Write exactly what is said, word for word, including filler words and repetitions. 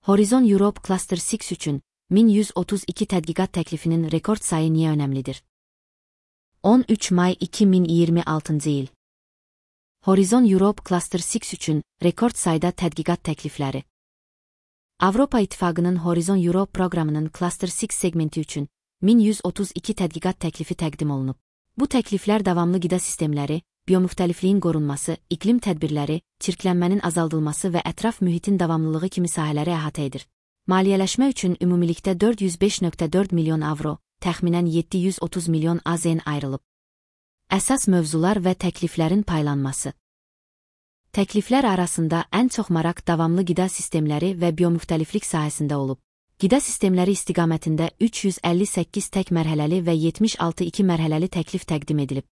Horizon Europe Cluster altı üçün min yüz otuz iki tədqiqat təklifinin rekord sayı niyə önəmlidir? on üç may iki min iyirmi altıncı il. Horizon Europe Cluster altı üçün rekord sayda tədqiqat təklifləri. Avropa İttifaqının Horizon Europe proqramının Cluster altı segmenti üçün min yüz otuz iki tədqiqat təklifi təqdim olunub. Bu təkliflər davamlı qida sistemləri, biomüxtəlifliyin qorunması, iqlim tədbirləri, çirklənmənin azaldılması və ətraf mühitin davamlılığı kimi sahələri əhatə edir. Maliyyələşmə üçün ümumilikdə dörd yüz beş nöqtə dörd milyon avro, təxminən yeddi yüz otuz milyon A Z N ayrılıb. Əsas mövzular və təkliflərin paylanması. Təkliflər arasında ən çox maraq davamlı qida sistemləri və biomüxtəliflik sahəsində olub. Qida sistemləri istiqamətində üç yüz əlli səkkiz tək mərhələli və yetmiş altı iki mərhələli təklif təqdim edilib.